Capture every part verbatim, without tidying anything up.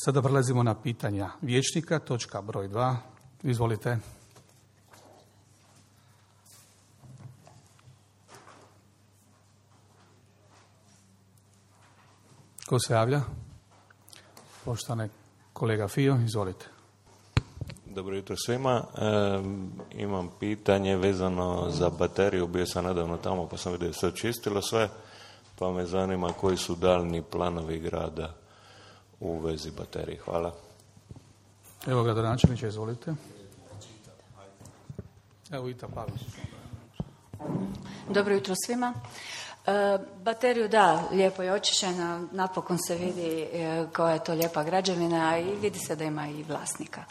Sada prelazimo na pitanja vijećnika, točka broj dva. Izvolite. Ko se javlja? Poštovani kolega Fio, izvolite. Dobro jutro svima. E, imam pitanje vezano za bateriju. Bio sam nedavno tamo pa sam vidio da se očistilo sve, pa me zanima koji su daljni planovi grada u vezi baterije. Hvala. Evo gradonačelniče, izvolite. Evo Ita Pavić. Dobro jutro svima. E, bateriju, da, lijepo je očišćena, napokon se vidi e, koja je to lijepa građevina i vidi se da ima i vlasnika.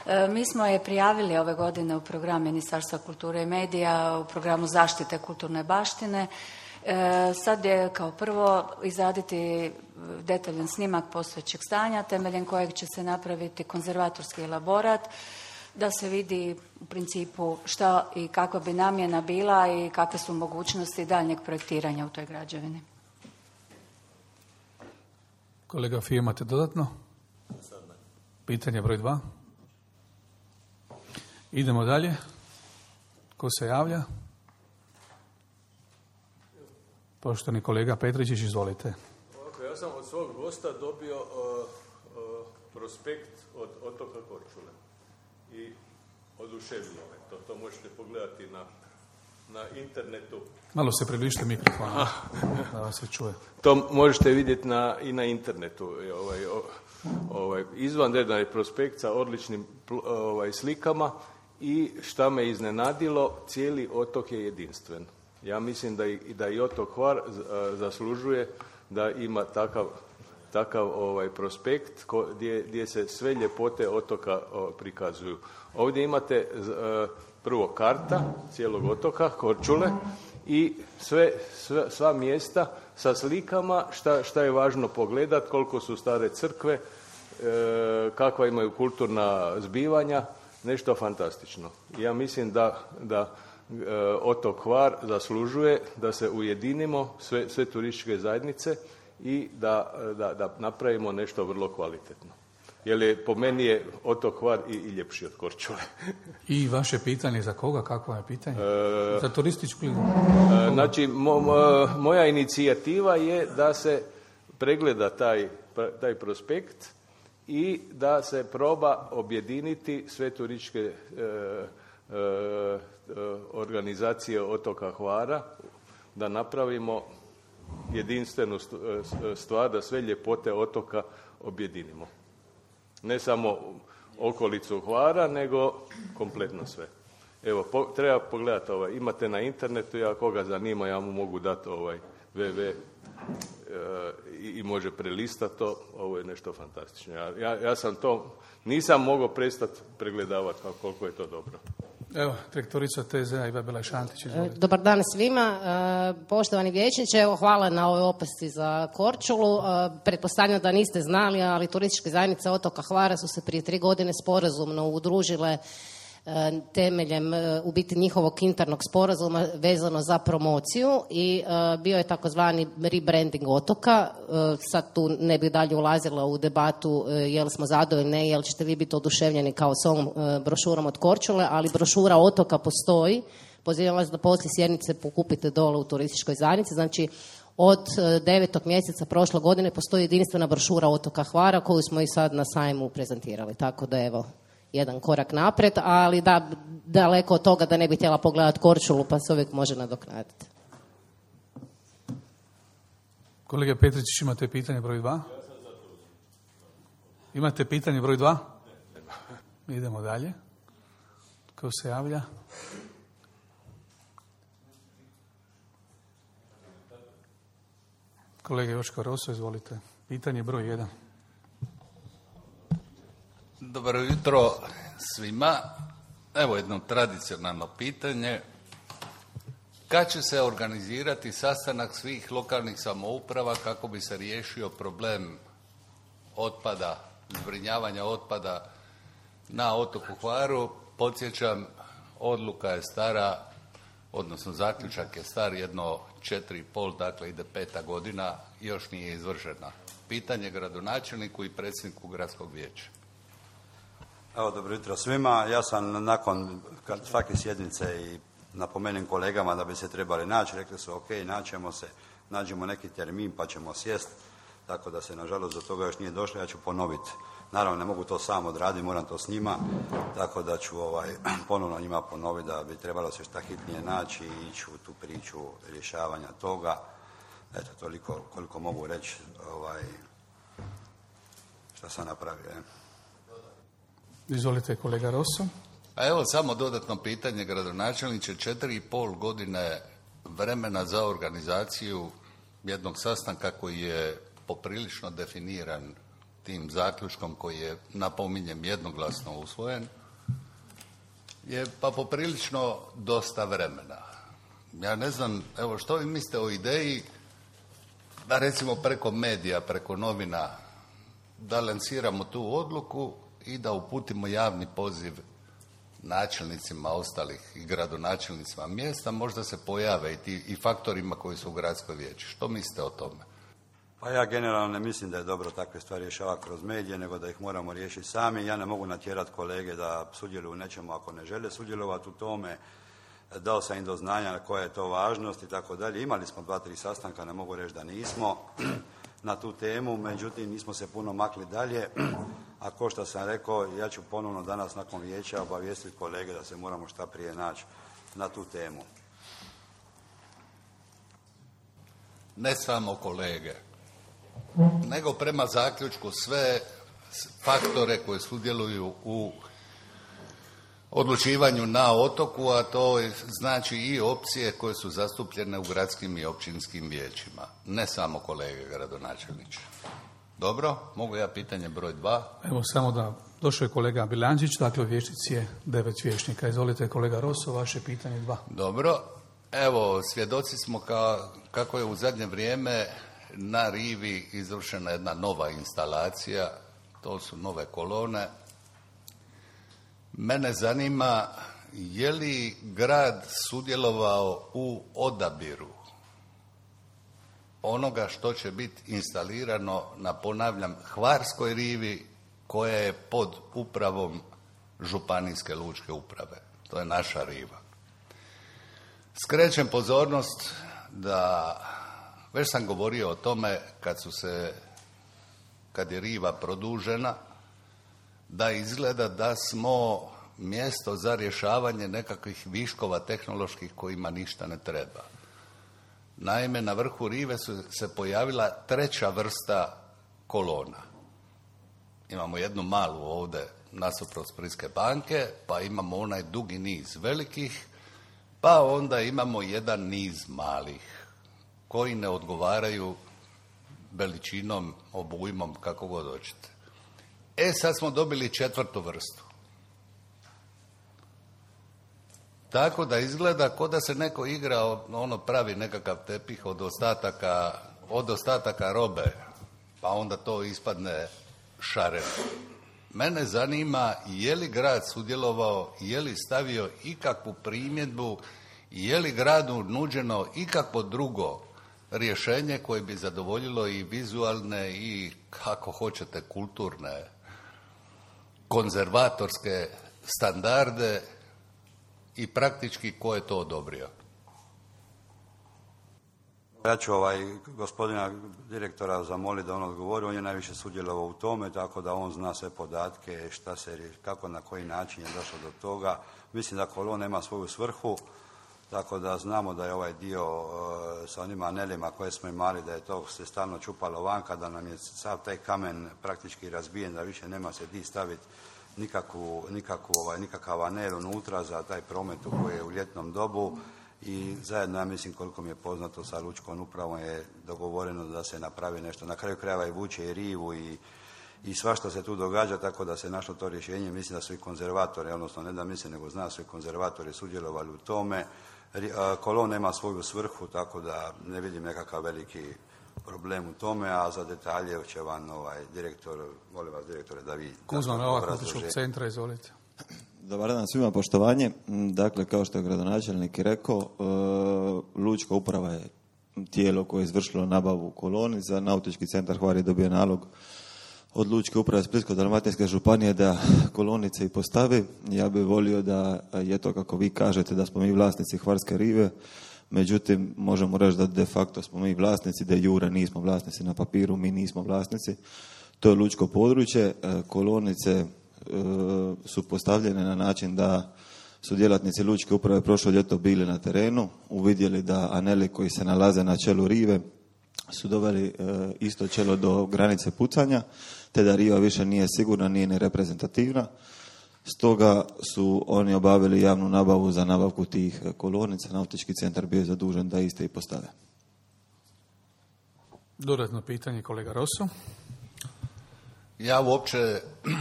E, mi smo je prijavili ove godine u program Ministarstva kulture i medija, u programu zaštite kulturne baštine. E, sad je kao prvo izraditi detaljan snimak postojećeg stanja, temeljem kojeg će se napraviti konzervatorski elaborat, da se vidi u principu šta i kakva bi namjena bila i kakve su mogućnosti daljnjeg projektiranja u toj građevini. Kolega Fije, imate dodatno? Pitanje broj dva. Idemo dalje. Ko se javlja? Poštovani kolega Petričić, izvolite. Ovako, ja sam od svog gosta dobio uh, uh, prospekt od otoka Korčule i oduševilo me to. To možete pogledati na, na internetu. Malo se približite mikrofonu, da vas se čuje. To možete vidjeti na, i na internetu. Ovaj, ovaj, izvanredan je prospekt sa odličnim ovaj, slikama i šta me iznenadilo, cijeli otok je jedinstven. Ja mislim da i, da i otok Hvar zaslužuje da ima takav, takav ovaj prospekt ko, gdje, gdje se sve ljepote otoka o, prikazuju. Ovdje imate uh, prvo karta cijelog otoka Korčule i sve, sve, sva mjesta sa slikama šta, šta je važno pogledati, koliko su stare crkve, e, kakva imaju kulturna zbivanja, nešto fantastično. Ja mislim da, da e, otok Hvar zaslužuje da se ujedinimo sve, sve turističke zajednice i da, da, da napravimo nešto vrlo kvalitetno. Jer je, po meni je otok Hvar i, i ljepši od Korčule. I vaše pitanje za koga? Kakvo je pitanje? E, za turističku? E, znači, mo, mo, moja inicijativa je da se pregleda taj, taj prospekt i da se proba objediniti sve turističke e, e, organizacije otoka Hvara, da napravimo jedinstvenu stvar, da sve ljepote otoka objedinimo. Ne samo okolicu Hvara, nego kompletno sve. Evo, po, treba pogledati ovaj, imate na internetu, ja koga zanima, ja mu mogu dati ovaj www e, i, i može prelistati to, ovo je nešto fantastično. Ja, ja, ja sam to, nisam mogao prestati pregledavati koliko je to dobro. Evo, direktorica T Z A Iva Belašantić, izvolite. Dobar dan svima. Poštovani vijećniče, evo hvala na ovoj opasci za Korčulu. Pretpostavljam da niste znali, ali turističke zajednice otoka Hvara su se prije tri godine sporazumno udružile temeljem u biti njihovog internog sporazuma vezano za promociju i uh, bio je takozvani rebranding otoka. Uh, sad tu ne bih dalje ulazila u debatu uh, jel smo zadovoljni, ne, jel ćete vi biti oduševljeni kao s ovom uh, brošurom od Korčule, ali brošura otoka postoji. Pozivam vas da poslije sjednice pokupite dole u turističkoj zajednici. Znači, od devetog mjeseca prošle godine postoji jedinstvena brošura otoka Hvara koju smo i sad na sajmu prezentirali. Tako da evo, jedan korak naprijed, ali da, daleko od toga da ne bi htjela pogledati Korčulu, pa se uvijek može nadoknaditi. Kolega Petričić, imate pitanje broj dva? Imate pitanje broj dva? Idemo dalje. Ko se javlja? Kolega Joško Roso, izvolite. Pitanje broj jedan. Dobro jutro svima. Evo jedno tradicionalno pitanje. Kad će se organizirati sastanak svih lokalnih samouprava kako bi se riješio problem otpada, zbrinjavanja otpada na otoku Hvaru? Podsjećam, odluka je stara, odnosno zaključak je star jedno četiri i pol, dakle ide peta godina, još nije izvršena. pitanje gradonačelniku i predsjedniku gradskog vijeća. Evo, dobro jutro svima. Ja sam nakon svake sjednice i napomenem kolegama da bi se trebali naći, rekli su ok, naćemo se, nađemo neki termin pa ćemo sjest, tako da se nažalost do toga još nije došlo, ja ću ponoviti. Naravno, ne mogu to sam odraditi, moram to s njima, tako da ću ovaj, ponovno njima ponoviti da bi trebalo se šta hitnije naći i ići u tu priču rješavanja toga. Eto, toliko koliko mogu reći ovaj, šta sam napravio. Je. Izvolite, kolega Rosso. A evo samo dodatno pitanje, gradonačelniče, četiri i pol godine vremena za organizaciju jednog sastanka koji je poprilično definiran tim zaključkom koji je, napominjem, jednoglasno usvojen, je pa poprilično dosta vremena. Ja ne znam, evo što vi mislite o ideji da recimo preko medija, preko novina, da lansiramo tu odluku i da uputimo javni poziv načelnicima ostalih i gradonačelnicima mjesta, možda se pojave i, ti, i faktorima koji su u gradskoj vijeći. Što mislite o tome? Pa ja generalno ne mislim da je dobro takve stvari rješavati kroz medije, nego da ih moramo riješiti sami. Ja ne mogu natjerati kolege da sudjeluju u nečemu ako ne žele sudjelovati u tome. Dao sam im do znanja koja je to važnost i tako dalje. Imali smo dva, tri sastanka, ne mogu reći da nismo na tu temu, međutim nismo se puno makli dalje. A ko što sam rekao, ja ću ponovno danas nakon vijeća obavijestiti kolege da se moramo šta prije naći na tu temu. Ne samo kolege, nego prema zaključku sve faktore koji sudjeluju u odlučivanju na otoku, a to znači i opcije koje su zastupljene u gradskim i općinskim vijećima. Ne samo kolege gradonačelniče. Dobro, mogu ja pitanje broj dva? Evo samo da došao je kolega Bilančić, dakle u vijećnici je devet vijećnika. Izvolite kolega Rosso, vaše pitanje dva. Dobro, evo svjedoci smo ka, kako je u zadnje vrijeme na rivi izvršena jedna nova instalacija, to su nove kolone. Mene zanima je li grad sudjelovao u odabiru onoga što će biti instalirano na, ponavljam, Hvarskoj rivi koja je pod upravom Županijske lučke uprave. To je naša riva. Skrećem pozornost da, već sam govorio o tome kad su se, kad je riva produžena, da izgleda da smo mjesto za rješavanje nekakvih viškova tehnoloških kojima ništa ne treba. Naime, na vrhu rive su se pojavila treća vrsta kolona. Imamo jednu malu ovdje nasuprot Splitske banke, pa imamo onaj dugi niz velikih, pa onda imamo jedan niz malih koji ne odgovaraju veličinom, obujmom, kako god hoćete. E, sad smo dobili četvrtu vrstu. Tako da izgleda kao da se neko igra, ono pravi nekakav tepih od ostataka, od ostataka robe, pa onda to ispadne šareno. Mene zanima je li grad sudjelovao, je li stavio ikakvu primjedbu, je li gradu nuđeno ikakvo drugo rješenje koje bi zadovoljilo i vizualne i, kako hoćete, kulturne, konzervatorske standarde i praktički ko je to odobrio? Ja ću ovaj gospodina direktora zamoliti da on odgovori, on je najviše sudjelovao u tome, tako da on zna sve podatke, šta se, kako, na koji način je došlo do toga. Mislim da kolon nema svoju svrhu, tako da znamo da je ovaj dio uh, sa onim anelima koje smo imali, da je to se stalno čupalo vanka, da nam je sav taj kamen praktički razbijen, da više nema se di staviti nikakvu, nikakvu, ovaj, nikakav anel unutra za taj promet koji je u ljetnom dobu. I zajedno, ja mislim, koliko mi je poznato, sa lučkom upravom je dogovoreno da se napravi nešto. Na kraju krajeva i vuče i rivu i, i svašta se tu događa, tako da se našlo to rješenje. Mislim da su i konzervatori, odnosno ne da mislim, nego zna su i konzervatori sudjelovali u tome. Kolon nema svoju svrhu, tako da ne vidim nekakav veliki problem u tome, a za detalje će vam ovaj direktor, molim vas direktore da vi... Kuzman Novak, Otočkog centra, izvolite. Dobar dan svima, poštovanje. Dakle, kao što je gradonačelnik rekao, lučka uprava je tijelo koje je izvršilo nabavu kolonica. Nautički centar Hvar je dobio nalog od Lučke uprave Splitsko-dalmatinske županije da kolonice i postavi. Ja bih volio da je to kako vi kažete, da smo mi vlasnici Hvarske rive, međutim možemo reći da de facto smo mi vlasnici, de jure nismo vlasnici na papiru, mi nismo vlasnici. To je lučko područje. Kolonice su postavljene na način da su djelatnici Lučke uprave prošlo ljeto bili na terenu, uvidjeli da aneli koji se nalaze na čelu rive su doveli e, isto čelo do granice pucanja, te da riva više nije sigurna, nije ni reprezentativna. Stoga su oni obavili javnu nabavu za nabavku tih kolonica. Nautički centar bio je zadužen da iste i postave. Dodatno pitanje, kolega Rosso. Ja uopće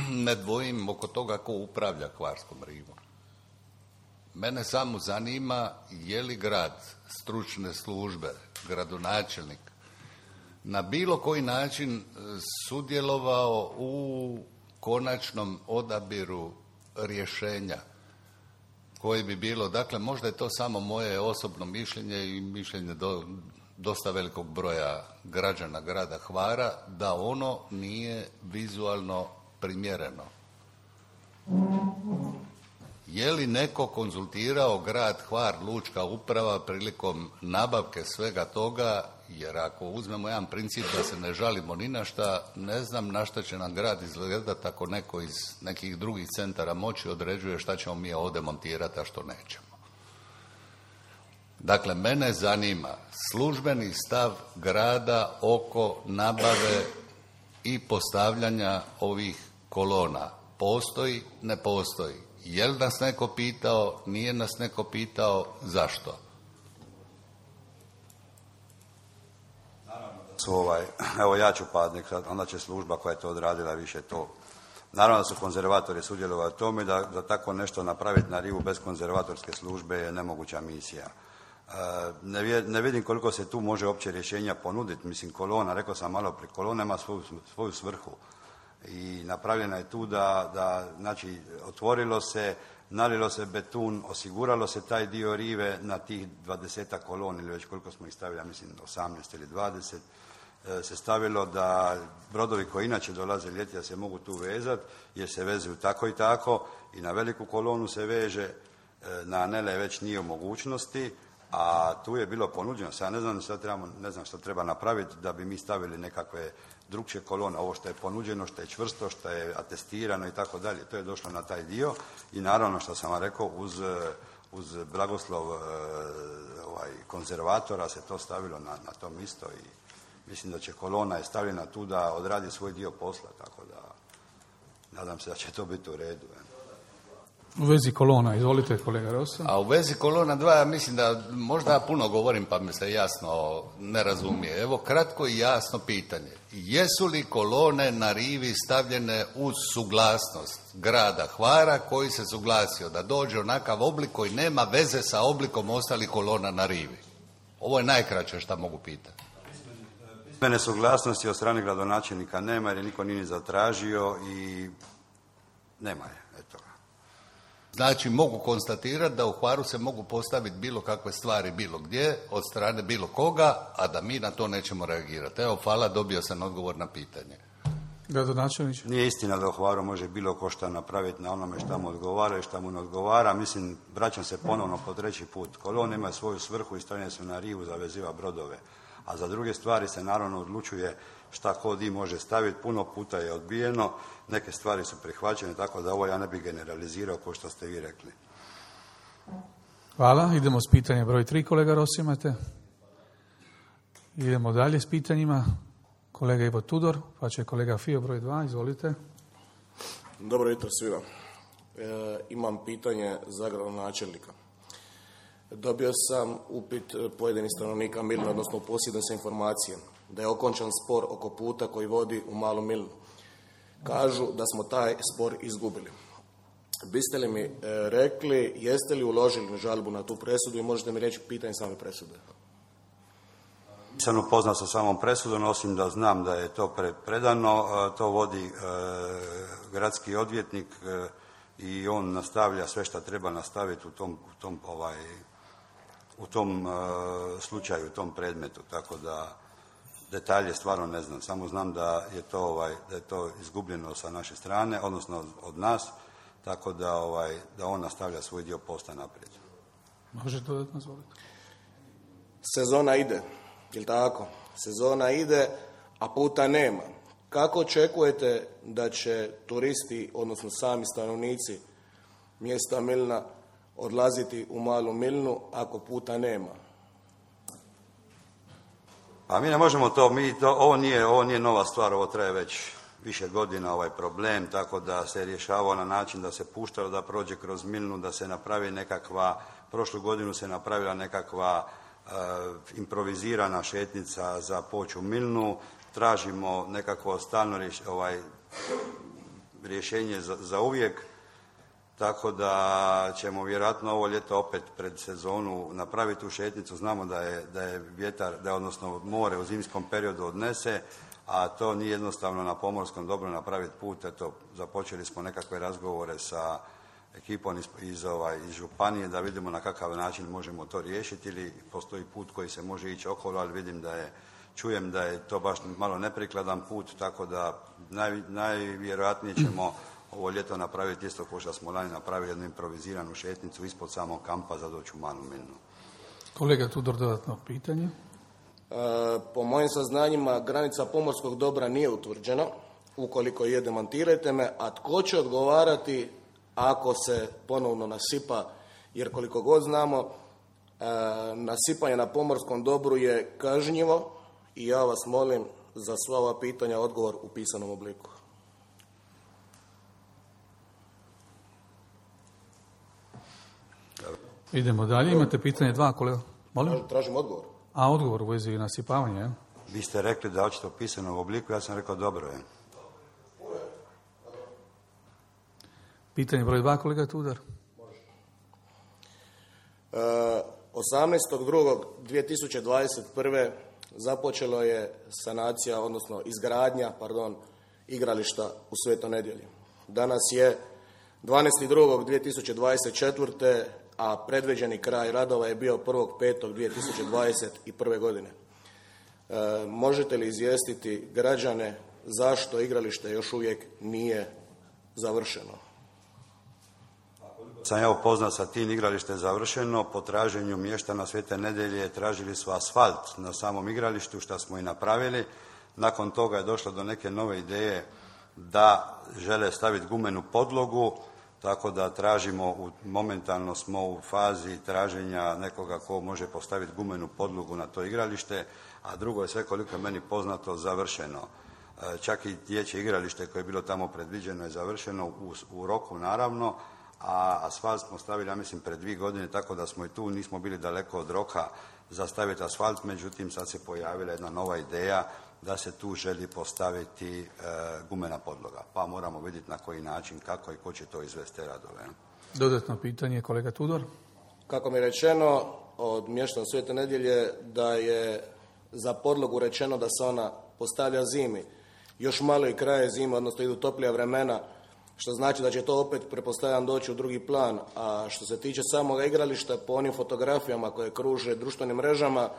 ne dvojim oko toga ko upravlja Hvarskom rivom. Mene samo zanima je li grad, stručne službe, gradonačelnik na bilo koji način sudjelovao u konačnom odabiru rješenja koje bi bilo, dakle možda je to samo moje osobno mišljenje i mišljenje do, dosta velikog broja građana grada Hvara, da ono nije vizualno primjereno. Je li neko konzultirao grad Hvar, Lučka uprava prilikom nabavke svega toga, jer ako uzmemo jedan princip da se ne žalimo ni na šta, ne znam na šta će nam grad izgledati ako neko iz nekih drugih centara moći određuje šta ćemo mi ovdje montirati, a što nećemo. Dakle, mene zanima službeni stav grada oko nabave i postavljanja ovih kolona. Postoji, ne postoji. Je li nas neko pitao, nije nas neko pitao, zašto? Su ovaj, evo ja ću padnik, onda će služba koja je to odradila više to. Naravno da su konzervatori sudjelovali u tome, da, da tako nešto napraviti na rivu bez konzervatorske službe je nemoguća misija. E, ne, vje, ne vidim koliko se tu može opće rješenja ponuditi. Mislim, kolona, rekao sam malo prije, kolona ima svoju, svoju svrhu. I napravljena je tu da, da, znači, otvorilo se, nalilo se beton, osiguralo se taj dio rive na tih dvadesetak kolona ili već koliko smo ih stavili, mislim osamnaest ili dvadeset, se stavilo da brodovi koji inače dolaze ljeti da se mogu tu vezati, jer se vezuju tako i tako i na veliku kolonu se veže, na anele već nije u mogućnosti, a tu je bilo ponuđeno. Sad ne znam šta trebamo, ne znam šta treba napraviti da bi mi stavili nekakve drugčije kolone, ovo što je ponuđeno, što je čvrsto, što je atestirano i tako dalje, to je došlo na taj dio i naravno što sam vam rekao, uz, uz blagoslov ovaj, konzervatora se to stavilo na, na to isto i mislim da će kolona je stavljena tu da odradi svoj dio posla, tako da nadam se da će to biti u redu. U vezi kolona, izvolite kolega Rosso. A u vezi kolona dva, ja mislim da možda ja puno govorim pa mi se jasno ne razumije. Evo kratko i jasno pitanje. Jesu li kolone na rivi stavljene uz suglasnost grada Hvara koji se suglasio da dođe onakav oblik koji nema veze sa oblikom ostalih kolona na rivi? Ovo je najkraće što mogu pitati. Mene suglasnosti od strane gradonačelnika nema jer je niko nije zatražio i nema je. Eto. Znači mogu konstatirati da u Hvaru se mogu postaviti bilo kakve stvari bilo gdje, od strane bilo koga, a da mi na to nećemo reagirati. Evo, hvala, dobio sam odgovor na pitanje. Gradonačelniče? Nije istina da u Hvaru može bilo ko šta napraviti na onome šta mu odgovara i šta mu ne odgovara. Mislim, vraćam se ponovno po treći put. Kolone imaju svoju svrhu i stavljene su na rivu za veziva brodove. A za druge stvari se naravno odlučuje šta ko di može staviti. Puno puta je odbijeno, neke stvari su prihvaćene, tako da ovo ja ne bih generalizirao kao što ste vi rekli. Hvala. Idemo s pitanjem broj tri, kolega Rossi, imate. Idemo dalje s pitanjima. Kolega Ivo Tudor, pa će kolega Fio broj dva, izvolite. Dobro jutro svima. E, imam pitanje za gradonačelnika. Dobio sam upit pojedinih stanovnika Milne, odnosno posjedne se informacije da je okončan spor oko puta koji vodi u Malu Milnu. Kažu da smo taj spor izgubili. Biste li mi e, rekli, jeste li uložili žalbu na tu presudu i možete mi reći pitanje same presude? Nisam upoznat sa samom presudom, osim da znam da je to pre, predano, e, to vodi e, gradski odvjetnik e, i on nastavlja sve što treba nastaviti u tom, u tom ovaj, u tom uh, slučaju, u tom predmetu, tako da detalje stvarno ne znam, samo znam da je to, ovaj, da je to izgubljeno sa naše strane, odnosno od nas, tako da, ovaj, da on nastavlja svoj dio posla naprijed. Može dodatno zvoliti? Sezona ide, jel tako? Sezona ide, a puta nema. Kako očekujete da će turisti, odnosno sami stanovnici mjesta Milna, odlaziti u Malu Milnu ako puta nema? A mi ne možemo to, mi to, ovo nije, ovo nije nova stvar, ovo traje već više godina ovaj problem, tako da se rješavao na način da se puštalo da prođe kroz Milnu, da se napravi nekakva, prošlu godinu se napravila nekakva uh, improvizirana šetnica za poć u Milnu, tražimo nekakvo stalno rješ, ovaj, rješenje za, za uvijek, tako da ćemo vjerojatno ovo ljeto opet pred sezonu napraviti tu šetnicu. Znamo da je, da je vjetar, da je odnosno more u zimskom periodu odnese, a to nije jednostavno na pomorskom dobru napraviti put. Eto, započeli smo nekakve razgovore sa ekipom iz, iz, ovaj, iz županije da vidimo na kakav način možemo to riješiti ili postoji put koji se može ići okolo, ali vidim da je, čujem da je to baš malo neprikladan put, tako da naj, najvjerojatnije ćemo ovo ljeto napraviti isto kao što smo lani napravili jednu improviziranu šetnicu ispod samog kampa za doći u Malu Milnu. Kolega Tudor, dodatno pitanje. E, po mojim saznanjima granica pomorskog dobra nije utvrđena, ukoliko je demantirajte me, a tko će odgovarati ako se ponovno nasipa, jer koliko god znamo, e, nasipanje na pomorskom dobru je kažnjivo i ja vas molim za sva ova pitanja odgovor u pisanom obliku. Idemo dalje, imate pitanje dva, kolega. Molim? Tražim odgovor. A, odgovor u vezi nasipavanja, je? Vi ste rekli da hoćete u pisanom obliku, ja sam rekao dobro je. Pitanje broj dva, kolega Tudor. E, osamnaestog drugog dvije tisuće dvadeset prve započelo je sanacija, odnosno izgradnja, pardon, igrališta u Svetoj Nedjelji. Danas je dvanaestog drugog dvije tisuće dvadeset četvrte a predviđeni kraj radova je bio prvog petog dvije tisuće dvadeset prve godine. E, možete li izvijestiti građane zašto igralište još uvijek nije završeno? Sam ja upoznat sa tim, igralište je završeno, po traženju mještana Svete Nedjelje tražili su asfalt na samom igralištu, što smo i napravili. Nakon toga je došlo do neke nove ideje da žele staviti gumenu podlogu, tako da tražimo, momentalno smo u fazi traženja nekoga ko može postaviti gumenu podlogu na to igralište, a drugo je sve koliko je meni poznato završeno. Čak i dječje igralište koje je bilo tamo predviđeno je završeno u, u roku naravno, a asfalt smo stavili, ja mislim, pred dvije godine, tako da smo i tu, nismo bili daleko od roka za staviti asfalt, međutim sad se pojavila jedna nova ideja da se tu želi postaviti e, gumena podloga, pa moramo vidjeti na koji način, kako i ko će to izvesti radove. Dodatno pitanje, kolega Tudor. Kako mi je rečeno od mještana Svete Nedjelje da je za podlogu rečeno da se ona postavlja zimi. Još malo i kraje zime, odnosno idu toplija vremena, što znači da će to opet, pretpostavljam, doći u drugi plan. A što se tiče samoga igrališta, po onim fotografijama koje kruže društvenim mrežama, e,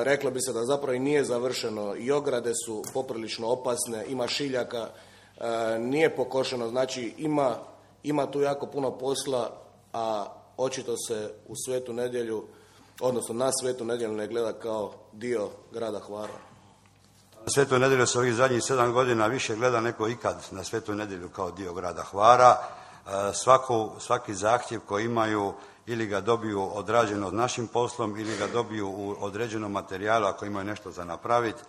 reklo bi se da zapravo i nije završeno. I ograde su poprilično opasne, ima šiljaka, e, nije pokošeno, znači ima, ima tu jako puno posla, a očito se u Svetu Nedjelju, odnosno na Svetu Nedjelju ne gleda kao dio grada Hvara. Na Svetu Nedjelju se ovih zadnjih sedam godina više gleda neko ikad na Svetu Nedjelju kao dio grada Hvara. Svako, svaki zahtjev koji imaju ili ga dobiju odrađeno našim poslom ili ga dobiju u određenom materijalu ako imaju nešto za napraviti.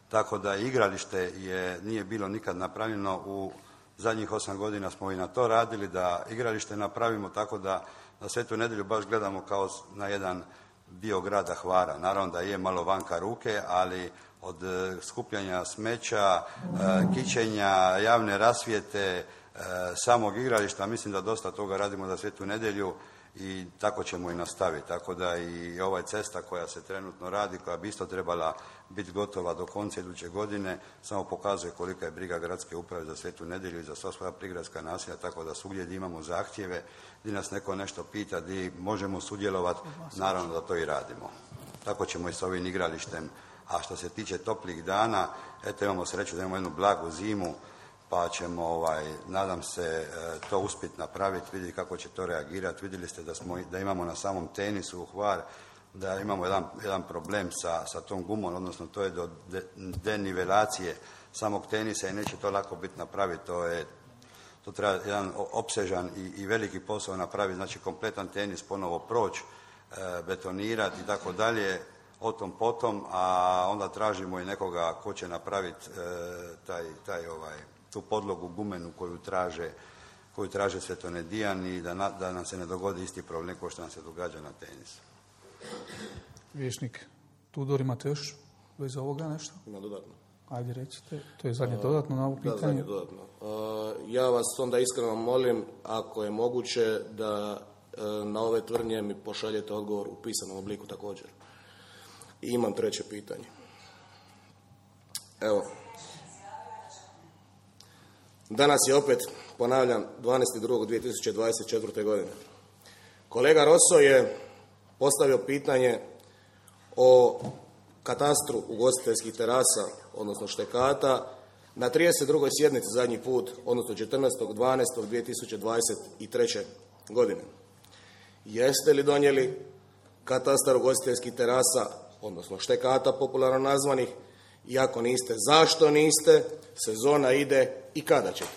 Tako da igralište je, nije bilo nikad napravljeno, u zadnjih osam godina smo i na to radili, da igralište napravimo, tako da na Svetu Nedjelju baš gledamo kao na jedan dio grada Hvara. Naravno da je malo vanka ruke, ali od skupljanja smeća, kićenja, javne rasvjete, samog igrališta, mislim da dosta toga radimo za Svetu Nedjelju i tako ćemo i nastaviti. Tako da i ova cesta koja se trenutno radi, koja bi isto trebala biti gotova do konca iduće godine, samo pokazuje kolika je briga gradske uprave za Svetu Nedjelju i za sva svoja prigradska naselja, tako da svugdje gdje imamo zahtjeve, gdje nas neko nešto pita, gdje možemo sudjelovati, naravno da to i radimo. Tako ćemo i s ovim igralištem. A što se tiče toplih dana, eto imamo sreću da imamo jednu blagu zimu, pa ćemo, ovaj, nadam se, to uspjeti napraviti, vidjeti kako će to reagirati. Vidjeli ste da, smo, da imamo na samom tenisu u Hvar, da imamo jedan, jedan problem sa, sa tom gumom, odnosno to je do de, denivelacije samog tenisa i neće to lako biti napraviti. To, je, to treba jedan opsežan i, i veliki posao napraviti, znači kompletan tenis ponovo proći, e, betonirati i tako dalje, o tom potom, a onda tražimo i nekoga ko će napraviti e, taj, taj ovaj, tu podlogu gumenu koju traže, koju traže Svetonedijani i da, na, da nam se ne dogodi isti problem kao što nam se događa na tenisu. Vješnik Tudor, imate još bez ovoga nešto? Ima dodatno. Ajde recite, to je zadnje dodatno na ovo pitanje. Da, zadnje dodatno. Uh, ja vas onda iskreno molim, ako je moguće, da uh, na ove tvrdnje mi pošaljete odgovor u pisanom obliku također. I imam treće pitanje. Evo. Danas je opet, ponavljam, dvanaesti drugog dvije tisuće dvadeset četvrte. godine. Kolega Rosso je postavio pitanje o katastru ugostiteljskih terasa, odnosno štekata, na trideset drugoj sjednici zadnji put, odnosno četrnaestog dvanaestog dvije tisuće dvadeset treće. godine. Jeste li donijeli katastar ugostiteljskih terasa, odnosno štekata popularno nazvanih, i ako niste, zašto niste, sezona ide i kada ćete?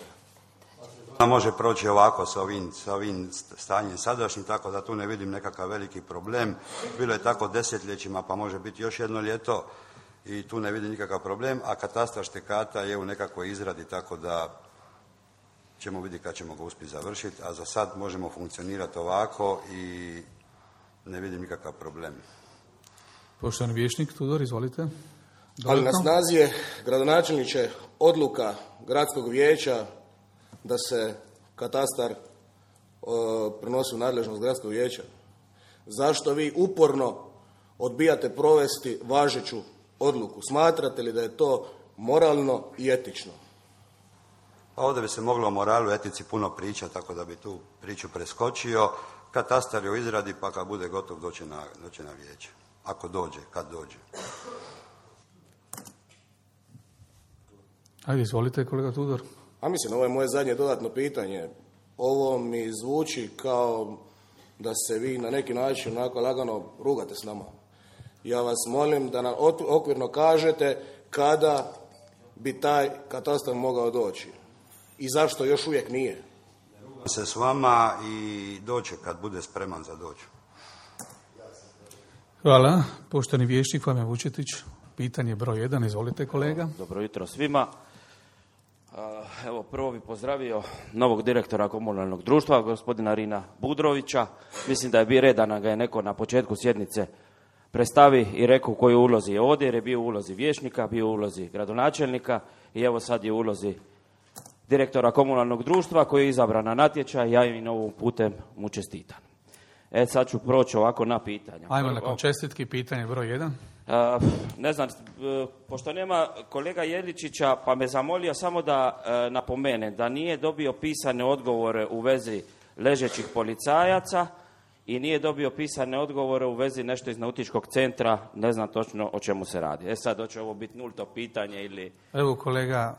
Ona može proći ovako sa ovim, sa ovim stanjem sadašnjim, tako da tu ne vidim nekakav veliki problem. Bilo je tako desetljećima, pa može biti još jedno ljeto i tu ne vidim nikakav problem, a katastar štekata je u nekakvoj izradi, tako da ćemo vidjeti kad ćemo ga uspjeti završiti, a za sad možemo funkcionirati ovako i ne vidim nikakav problem. Poštovani vijećnik Tudor, izvolite. Dodatno. Ali na snazi je, gradonačelniče, odluka gradskog vijeća da se katastar o, prenosi u nadležnost gradskog vijeća. Zašto vi uporno odbijate provesti važeću odluku? Smatrate li da je to moralno i etično? Pa ovdje bi se moglo o moralu i etici puno pričati, tako da bi tu priču preskočio. Katastar je u izradi, pa kad bude gotov doće na, doće na vijeće. Ako dođe, kad dođe. Ajde, izvolite, kolega Tudor. A mislim, ovo je moje zadnje dodatno pitanje. Ovo mi zvuči kao da se vi na neki način onako lagano rugate s nama. Ja vas molim da nam okvirno kažete kada bi taj katastar mogao doći i zašto još uvijek nije. Rugam se s vama i doće kad bude spreman za doći. Hvala. Poštovani vijećnik Fabijan Vučetić, pitanje broj jedan. Izvolite, kolega. Dobro jutro svima. Evo, prvo bih pozdravio novog direktora komunalnog društva, gospodina Rina Budrovića. Mislim da je bio red da ga je neko na početku sjednice predstavi i rekao u kojoj ulozi je ovdje, jer je bio u ulozi vijećnika, bio u ulozi gradonačelnika i evo sad je u ulozi direktora komunalnog društva koji je izabran na natječaj. Ja im ovim putem mu čestitam. E, sad ću proći ovako na pitanja. Ajmo nakon čestitki, pitanje broj jedan. Uh, ne znam, uh, pošto nema kolega Jeličića, pa me zamolio samo da uh, napomene da nije dobio pisane odgovore u vezi ležećih policajaca i nije dobio pisane odgovore u vezi nešto iz nautičkog centra, ne znam točno o čemu se radi. E sad, hoće ovo biti nulto pitanje ili... Evo, kolega,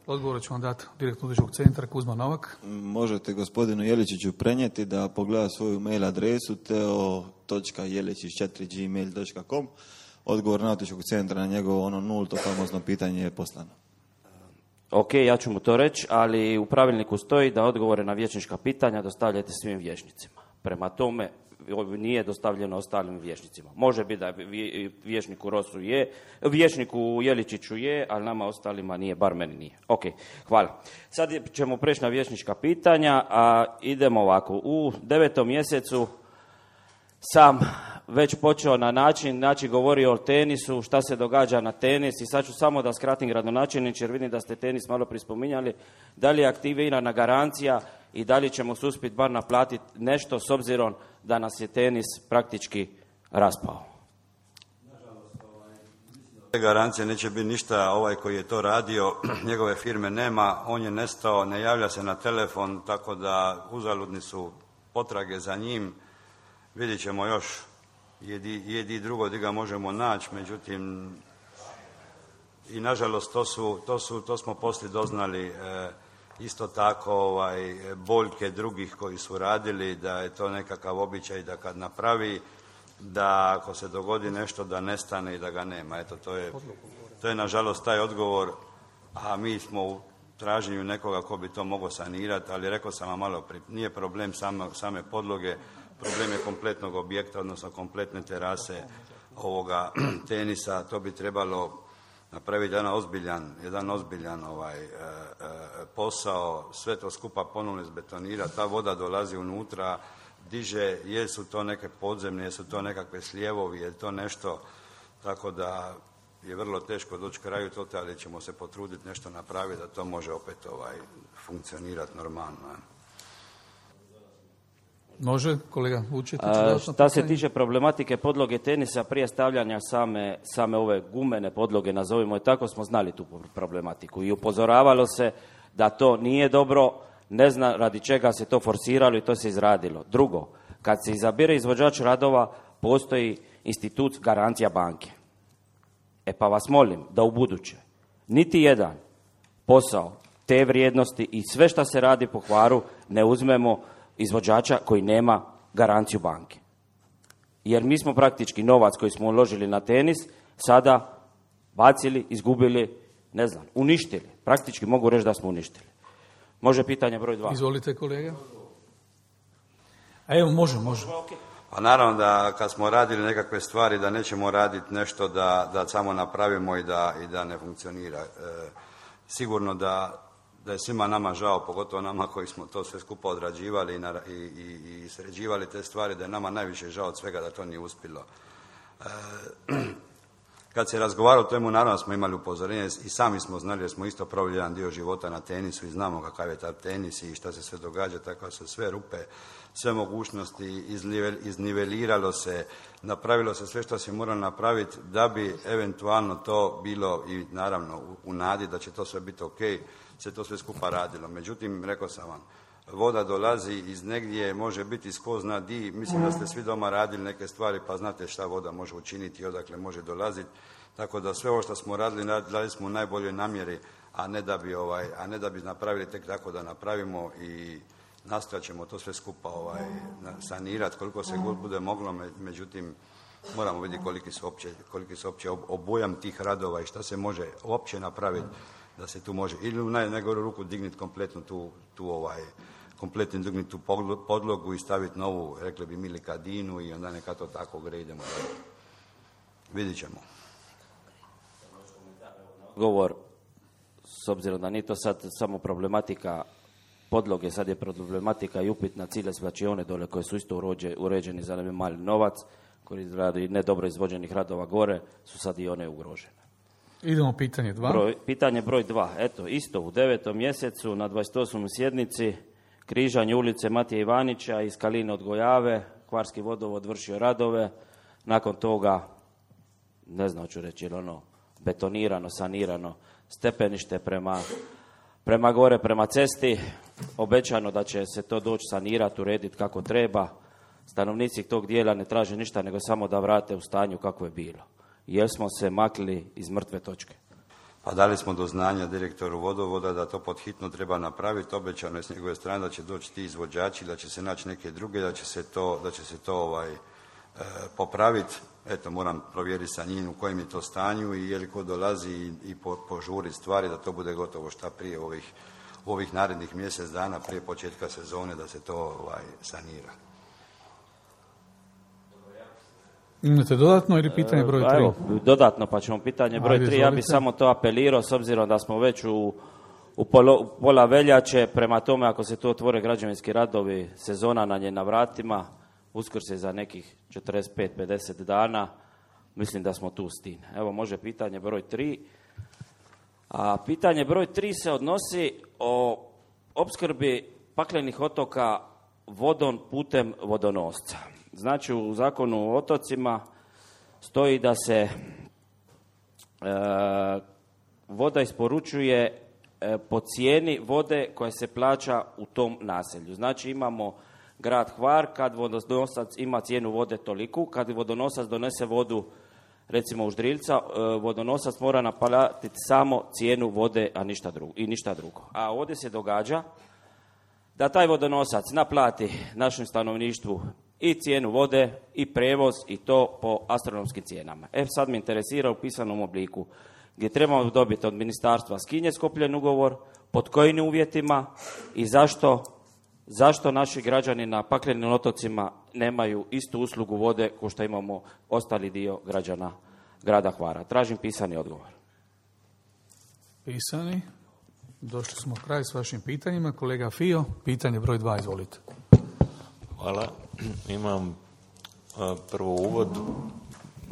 odgovor ću vam dati direktor nautičkog centra, Kuzma Novak. Možete gospodinu Jeličiću prenijeti da pogleda svoju mail adresu teo točka jeličić četiri gmail točka com. Odgovor nautičkog centra na njegovo ono nulto famozno pitanje je poslano. Ok, ja ću mu to reći, ali u pravilniku stoji da odgovore na vijećnička pitanja dostavljate svim vijećnicima. Prema tome, nije dostavljeno ostalim vijećnicima. Može biti da vijećniku Rosu je, vijećniku Jeličiću je, ali nama ostalima nije, bar meni nije. Ok, hvala. Sad ćemo preći na vijećnička pitanja, a idemo ovako. U devetom mjesecu sam već počeo na način, znači govorio o tenisu, šta se događa na tenis i sad ću samo da skratim gradonačelniče jer vidim da ste tenis malo prispominjali. Da li je aktivirana garancija i da li ćemo se uspjeti bar naplatiti nešto s obzirom da nas je tenis praktički raspao. Garancije neće biti ništa, ovaj koji je to radio, njegove firme nema, on je nestao, ne javlja se na telefon, tako da uzaludni su potrage za njim. Vidjet ćemo još jedi, jedi drugo gdje ga možemo naći, međutim i nažalost to, su, to, su, to smo poslije doznali e, isto tako ovaj, boljke drugih koji su radili, da je to nekakav običaj da kad napravi, da ako se dogodi nešto da nestane i da ga nema. Eto, to je, to je nažalost taj odgovor, a mi smo u traženju nekoga ko bi to mogao sanirati, ali rekao sam vam malo prije, nije problem same, same podloge, problem je kompletnog objekta, odnosno kompletne terase ovoga tenisa. To bi trebalo napraviti jedan ozbiljan, jedan ozbiljan ovaj, e, e, posao, sve to skupa ponovno izbetonirati, ta voda dolazi unutra, diže, jesu to neke podzemne, jesu to nekakve slijevovi, je to nešto, tako da je vrlo teško doći kraju toga, ali ćemo se potruditi nešto napraviti da to može opet ovaj, funkcionirati normalno. Može, kolega Vučetić? Šta se tiče problematike podloge tenisa, prije stavljanja same, same ove gumene podloge, nazovimo je tako, smo znali tu problematiku i upozoravalo se da to nije dobro, ne zna radi čega se to forsiralo i to se izradilo. Drugo, kad se izabire izvođač radova, postoji institut garancija banke. E pa vas molim da u buduće niti jedan posao te vrijednosti i sve što se radi po Hvaru ne uzmemo izvođača koji nema garanciju banke. Jer mi smo praktički novac koji smo uložili na tenis sada bacili, izgubili, ne znam, uništili. Praktički mogu reći da smo uništili. Može pitanje broj dva. Izvolite, kolega. A evo, može, može. Pa naravno da kad smo radili nekakve stvari da nećemo raditi nešto da, da samo napravimo i da, i da ne funkcionira. E, sigurno da, da je svima nama žao, pogotovo nama koji smo to sve skupa odrađivali i, na, i, i, i sređivali te stvari, da je nama najviše žao od svega da to nije uspjelo. E, Kad se razgovaralo o temu, naravno smo imali upozorenje i sami smo znali jer smo isto proveli jedan dio života na tenisu i znamo kakav je taj tenis i šta se sve događa, tako se sve rupe, sve mogućnosti izniveliralo se, napravilo se sve što se moralo napraviti da bi eventualno to bilo i naravno u, u nadi da će to sve biti ok, se to sve skupa radilo. Međutim, rekao sam vam, voda dolazi iz negdje, može biti tko zna di. Mislim da ste svi doma radili neke stvari pa znate šta voda može učiniti i odakle može dolaziti. Tako da sve ovo što smo radili, radili smo u najboljoj namjeri, a ne da bi, ovaj, a ne da bi napravili tek tako da napravimo i nastojat ćemo to sve skupa ovaj, sanirati koliko se god bude moglo. Međutim, moramo vidjeti koliki su opće, koliki su opće obujam tih radova i šta se može uopće napraviti da se tu može ili u najgoru ruku dignuti kompletnu tu, tu ovaj, kompletno dignuti tu podlogu i staviti novu, rekli bi mi kadinu i onda neka to tako gre, idemo dalje. Vidit ćemo. Govor, s obzirom da nije to sad samo problematika podloge, sad je problematika i upitna cilje svlačione dole koje su isto urođe, uređeni za mali novac, koji radi nedobro izvođenih radova gore, su sad i one ugrožene. Idemo pitanje dva. Broj, pitanje broj dva. Eto, isto u devetom mjesecu na dvadeset osmoj sjednici križanje ulice Matije Ivanića iz Kaline od Gojave, Hvarski vodovod vršio radove, nakon toga, ne znam ću reći, ili ono betonirano, sanirano stepenište prema, prema gore, prema cesti, obećano da će se to doći sanirati, urediti kako treba. Stanovnici tog dijela ne traže ništa nego samo da vrate u stanju kako je bilo. Jer smo se makli iz mrtve točke. Pa dali smo do znanja direktoru vodovoda da to pod hitno treba napraviti, obećano je s njegove strane da će doći ti izvođači, da će se naći neke druge, da će se to, da će se to ovaj, e, popraviti. Eto, moram provjeriti sa njim u kojem je to stanju i je li ko dolazi i, i po, požuri stvari da to bude gotovo šta prije ovih, ovih narednih mjesec dana, prije početka sezone da se to ovaj, sanira. Imate dodatno ili pitanje broj tri? Evo, dodatno, pa ćemo pitanje broj Ajde, tri. Ja bih samo to apelirao, s obzirom da smo već u, u, polo, u pola veljače, prema tome ako se tu otvore građevinski radovi, sezona nam je na vratima, Uskrs je za nekih četrdeset pet do pedeset dana, mislim da smo tu s tim. Evo, može pitanje broj tri. A pitanje broj tri se odnosi o opskrbi paklenih otoka vodom putem vodonosca. Znači u zakonu o otocima stoji da se e, voda isporučuje e, po cijeni vode koja se plaća u tom naselju. Znači imamo grad Hvar, kad vodonosac ima cijenu vode toliku, kad vodonosac donese vodu recimo u Ždriljca, vodonosac mora naplatiti samo cijenu vode, a ništa drugo, i ništa drugo. A ovdje se događa da taj vodonosac naplati našem stanovništvu i cijenu vode, i prevoz, i to po astronomskim cijenama. E sad me interesira u pisanom obliku, gdje trebamo dobiti od ministarstva s kim je sklopljen ugovor, pod kojim uvjetima i zašto, zašto naši građani na paklenim otocima nemaju istu uslugu vode kao što imamo ostali dio građana grada Hvara. Tražim pisani odgovor. Pisani. Došli smo kraj s vašim pitanjima. Kolega Fio, pitanje broj dva, izvolite. Hvala. Imam a, prvo uvod.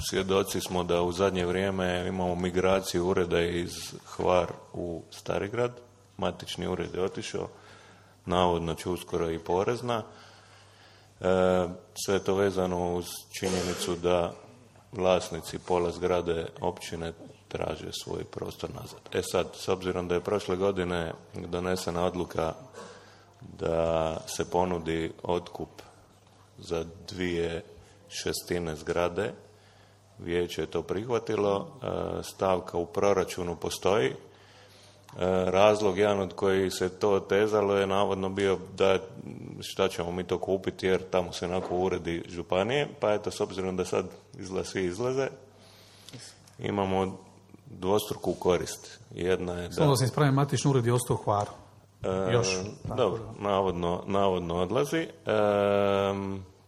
Svjedoci smo da u zadnje vrijeme imamo migraciju ureda iz Hvar u Starigrad. Matični ured je otišao. Navodno će uskoro i porezna. E, sve je to vezano uz činjenicu da vlasnici pola zgrade općine traže svoj prostor nazad. E sad, s obzirom da je prošle godine donesena odluka da se ponudi otkup za dvije šestine zgrade, vijeće je to prihvatilo, e, stavka u proračunu postoji. Razlog, jedan od koji se to otezalo, je navodno bio da šta ćemo mi to kupiti jer tamo se onako uredi županije, pa eto, s obzirom da sad izgleda svi izlaze, imamo dvostruku korist. Jedna je da... Samo da se ispravim, matični ured je ostao u Hvaru. E, Još. Dobro, navodno, navodno odlazi. E,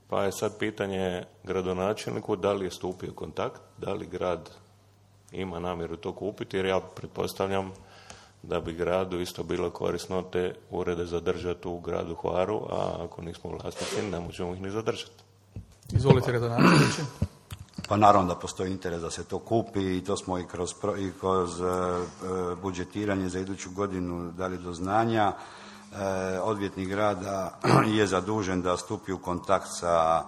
pa je sad pitanje gradonačelniku da li je stupio kontakt, da li grad ima namjeru to kupiti, jer ja pretpostavljam da bi gradu isto bilo korisno te urede zadržati u gradu Hvaru, a ako nismo vlasnici, ne možemo ih ni zadržati. Izvolite, gradonačelniče. Pa naravno da postoji interes da se to kupi i to smo i kroz, i kroz uh, budžetiranje za iduću godinu dali do znanja. Uh, odvjetnik grada je zadužen da stupi u kontakt sa,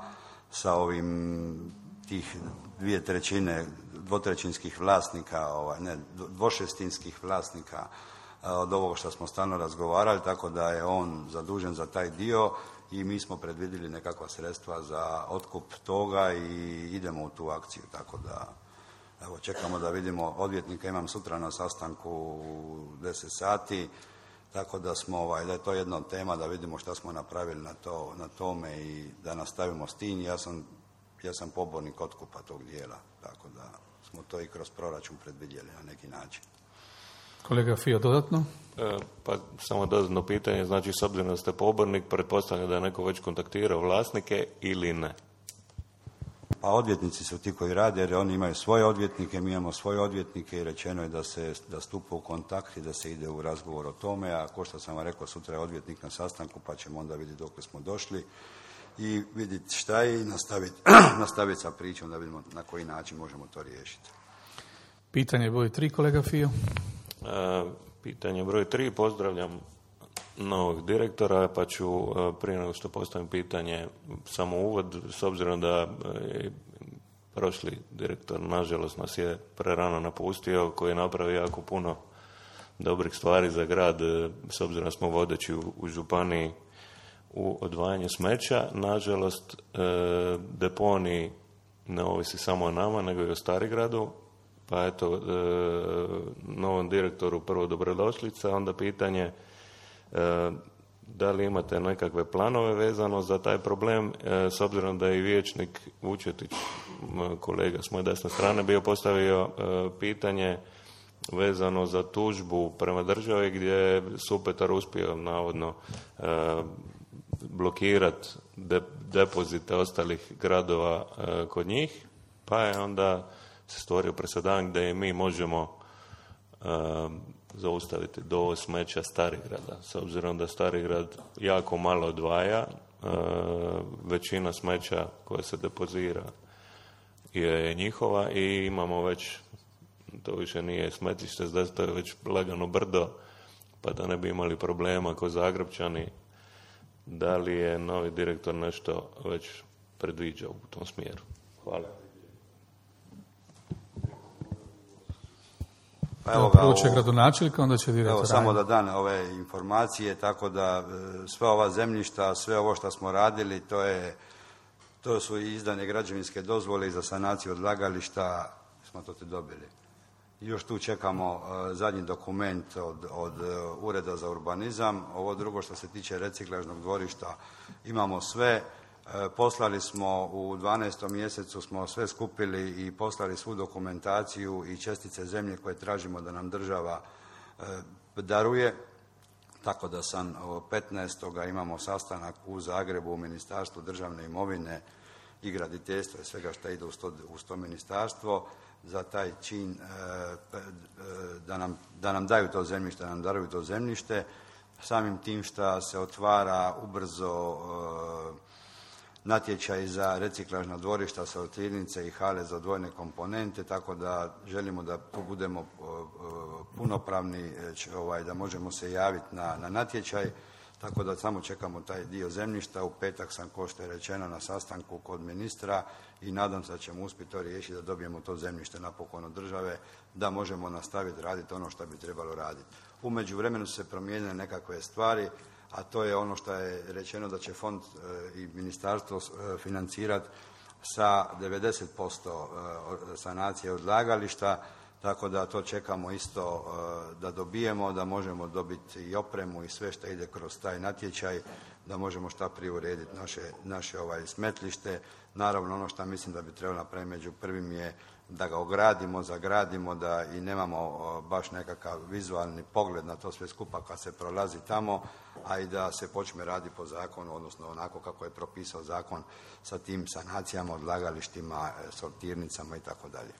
sa ovim tih dvije trećine dvotrećinskih vlasnika, ovaj, ne, dvošestinskih vlasnika od ovoga što smo stalno razgovarali, tako da je on zadužen za taj dio i mi smo predvidjeli nekakva sredstva za otkup toga i idemo u tu akciju, tako da evo, čekamo da vidimo odvjetnika, imam sutra na sastanku u deset sati, tako da smo, ovaj, da je to jedna od tema, da vidimo šta smo napravili na, to, na tome i da nastavimo s tim. Ja sam, ja sam pobornik otkupa tog dijela, tako da smo to i kroz proračun predvidjeli na neki način. Kolega Fio, dodatno? E, pa samo dodatno pitanje, znači s obzirom da ste pobornik, pretpostavljam da je neko već kontaktirao vlasnike ili ne? Pa odvjetnici su ti koji rade, jer oni imaju svoje odvjetnike, mi imamo svoje odvjetnike i rečeno je da se da stupa u kontakt i da se ide u razgovor o tome, a ko što sam vam rekao, sutra je odvjetnik na sastanku, pa ćemo onda vidjeti dok smo došli i vidjeti šta je i nastaviti, nastaviti sa pričom da vidimo na koji način možemo to riješiti. Pitanje broj tri, kolega Fio. E, pitanje broj tri, pozdravljam novog direktora, pa ću prije nego što postavim pitanje samo uvod, s obzirom da je prošli direktor, nažalost, nas je prerano napustio, koji je napravio jako puno dobrih stvari za grad, s obzirom da smo vodeći u, u županiji u odvajanju smeća. Nažalost, e, deponij ne ovisi samo o nama, nego i o Starigradu, pa eto, e, novom direktoru prvo dobrodošlica, onda pitanje e, da li imate nekakve planove vezano za taj problem, e, s obzirom da je i vijećnik Vučetić, kolega s moje desne strane, bio postavio e, pitanje vezano za tužbu prema državi gdje je Supetar uspio navodno e, blokirati de, depozite ostalih gradova e, kod njih, pa je onda se stvorio presedan gdje i mi možemo e, zaustaviti dovoz smeća Starigrada. S obzirom da Starigrad jako malo odvaja, e, većina smeća koja se depozira je njihova i imamo već, to više nije smetlište, to je već lagano brdo, pa da ne bi imali problema ko Zagrepčani Da li je novi direktor nešto već predviđao u tom smjeru? Hvala. Pa evo Prvo će gradonačelnik, onda će direktor. Evo, samo da dan ove informacije, tako da sva ova zemljišta, sve ovo što smo radili, to je, to su izdane građevinske dozvole i za sanaciju odlagališta, smo to te dobili. Još tu čekamo uh, zadnji dokument od, od uh, Ureda za urbanizam. Ovo drugo što se tiče reciklažnog dvorišta, imamo sve. Uh, poslali smo u dvanaestom mjesecu, smo sve skupili i poslali svu dokumentaciju i čestice zemlje koje tražimo da nam država uh, daruje. Tako da sam petnaestog imamo sastanak u Zagrebu u Ministarstvu državne imovine i graditeljstva i svega što ide uz to, uz to ministarstvo, za taj čin da nam, da nam daju to zemljište, da nam daruju to zemljište, samim tim što se otvara ubrzo natječaj za reciklažna dvorišta, sortirnice i hale za odvojene komponente, tako da želimo da tu budemo punopravni, ovaj, da možemo se javiti na, na natječaj, tako da samo čekamo taj dio zemljišta. U petak sam, kao što je rečeno, na sastanku kod ministra i nadam se da ćemo uspjeti to riješiti, da dobijemo to zemljište napokon od države, da možemo nastaviti raditi ono što bi trebalo raditi. U međuvremenu su se promijenile nekakve stvari, a to je ono što je rečeno da će fond i ministarstvo financirati sa devedeset posto sanacije odlagališta, tako da to čekamo isto da dobijemo, da možemo dobiti i opremu i sve što ide kroz taj natječaj, da možemo šta prije urediti naše, naše ovaj smetlište. Naravno, ono što mislim da bi trebalo napraviti među prvim je da ga ogradimo, zagradimo, da i nemamo baš nekakav vizualni pogled na to sve skupa kad se prolazi tamo, a i da se počne raditi po zakonu, odnosno onako kako je propisao zakon sa tim sanacijama, odlagalištima, sortirnicama i tako dalje.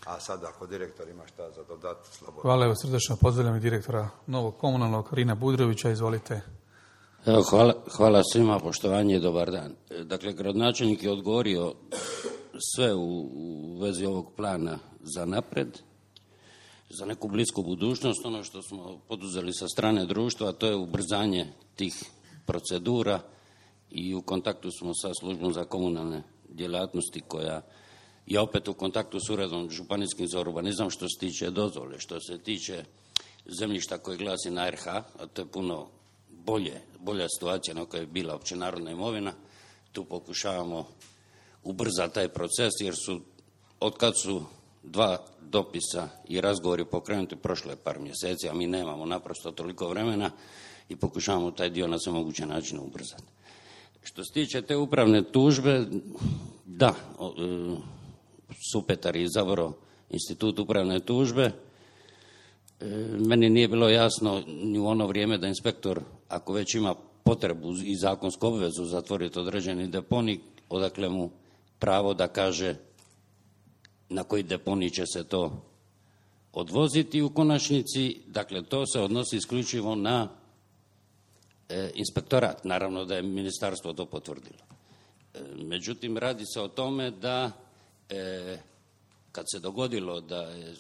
A sad ako direktor ima šta za dodati, slobodno. Hvala, evo srdačno pozdravljam i direktora novog komunalnog, Rina Budrovića, izvolite. Evo, hvala, hvala svima, poštovanje i dobar dan. Dakle, gradonačelnik je odgovorio sve u, u vezi ovog plana za napred, za neku blisku budućnost. Ono što smo poduzeli sa strane društva, to je ubrzanje tih procedura i u kontaktu smo sa službom za komunalne djelatnosti koja je opet u kontaktu s uredom županijskim za urbanizam što se tiče dozvole, što se tiče zemljišta koje glasi na R H, a to je puno bolje, bolja situacija na kojoj je bila opće narodna imovina. Tu pokušavamo ubrzati taj proces jer su, otkad su dva dopisa i razgovori pokrenuti, prošlo je par mjeseci, a mi nemamo naprosto toliko vremena i pokušavamo taj dio na sve moguće načine ubrzati. Što se tiče te upravne tužbe, da, Supetar je izabrao institut upravne tužbe. Meni nije bilo jasno ni u ono vrijeme da inspektor, ako već ima potrebu i zakonsku obvezu zatvoriti određeni deponij, odakle mu pravo da kaže na koji deponij će se to odvoziti u konačnici. Dakle, to se odnosi isključivo na e, inspektorat. Naravno da je ministarstvo to potvrdilo. E, međutim, radi se o tome da e, kad se dogodilo da je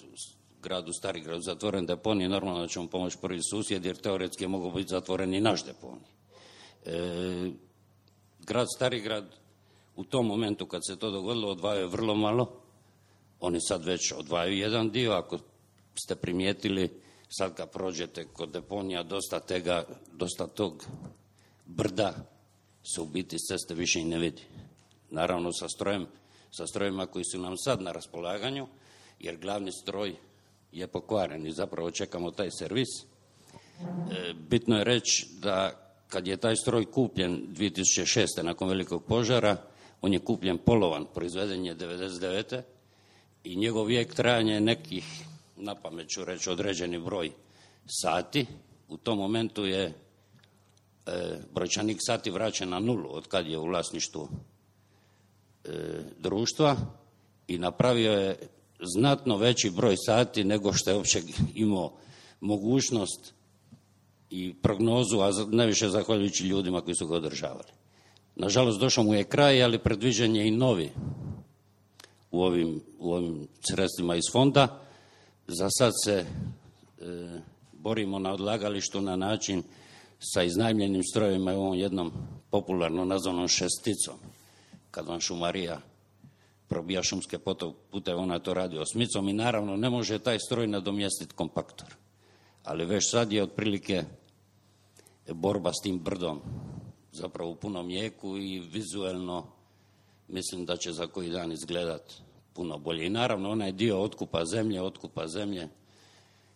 gradu Starigradu zatvoren deponij, normalno da ćemo pomoći prvi susjed, jer teoretski je mogao biti zatvoren i naš deponij. E, grad Starigrad u tom momentu kad se to dogodilo odvajao je vrlo malo. Oni sad već odvajaju jedan dio. Ako ste primijetili, sad kad prođete kod deponija, dosta tega, dosta tog brda se u biti s ceste više i ne vidi. Naravno sa strojem, sa strojima koji su nam sad na raspolaganju, jer glavni stroj je pokvaren i zapravo čekamo taj servis. E, bitno je reći da kad je taj stroj kupljen dvije tisuće šeste. nakon velikog požara, on je kupljen polovan, proizveden je devedeset devete. i njegov vijek trajanja je nekih, na pamet ću reći, određeni broj sati. U tom momentu je e, brojčanik sati vraćen na nulu od kad je u vlasništvu e, društva i napravio je znatno veći broj sati nego što je uopće imao mogućnost i prognozu, a najviše zahvaljujući ljudima koji su ga održavali. Nažalost, došao mu je kraj, ali predviđen je i novi u ovim, u ovim sredstvima iz fonda. Za sad se e, borimo na odlagalištu na način sa iznajmljenim strojevima i ovom jednom popularno nazvanom šesticom. Kad vam šumarija probija šumske puteve, ona to radi osmicom i naravno ne može taj stroj nadomjestiti kompaktor. Ali već sad je otprilike borba s tim brdom zapravo u punom jeku i vizuelno mislim da će za koji dan izgledat puno bolje. I naravno onaj dio otkupa zemlje, otkupa zemlje,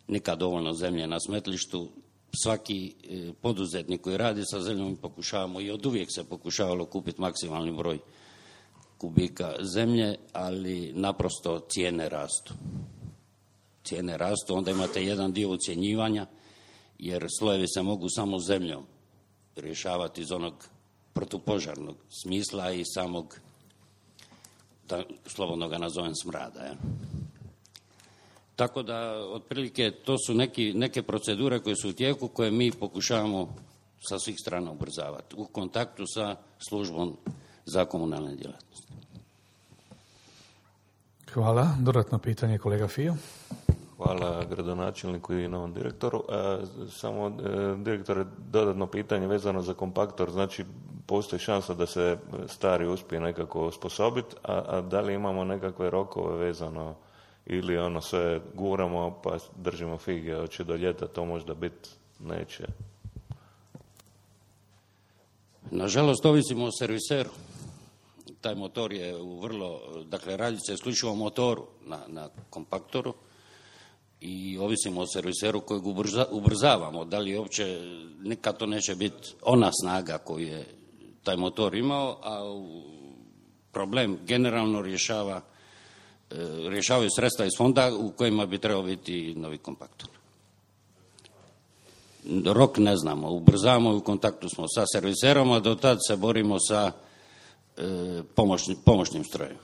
nikad dovoljno zemlje na smetlištu. Svaki poduzetnik koji radi sa zemljom pokušavamo i od uvijek se pokušavalo kupiti maksimalni broj kubika zemlje, ali naprosto cijene rastu. Cijene rastu, onda imate jedan dio ucjenjivanja, jer slojevi se mogu samo zemljom rješavati iz onog protupožarnog smisla i samog, da slobodno ga nazovem, smrada. Ja. Tako da, otprilike, to su neki, neke procedure koje su u tijeku, koje mi pokušavamo sa svih strana ubrzavati u kontaktu sa službom za komunalne djelatnosti. Hvala. Dodatno pitanje, kolega Fio. Hvala gradonačelniku i novom direktoru. E, samo, e, direktore, dodatno pitanje vezano za kompaktor. Znači, postoji šansa da se stari uspije nekako osposobiti, a, a da li imamo nekakve rokove vezano ili ono sve guramo pa držimo fige, hoće do ljeta to možda biti, neće? Nažalost, ovisimo o serviseru. Taj motor je u vrlo, dakle, radi se isključivo o motoru na, na kompaktoru i ovisimo o serviseru kojeg ubrza, ubrzavamo. Da li uopće, nikad to neće biti ona snaga koju je taj motor imao, a problem generalno rješava, rješavaju sredstva iz fonda u kojima bi trebao biti novi kompaktor. Rok ne znamo, ubrzavamo i u kontaktu smo sa serviserom, a do tad se borimo sa e, pomoćni, pomoćnim strojem.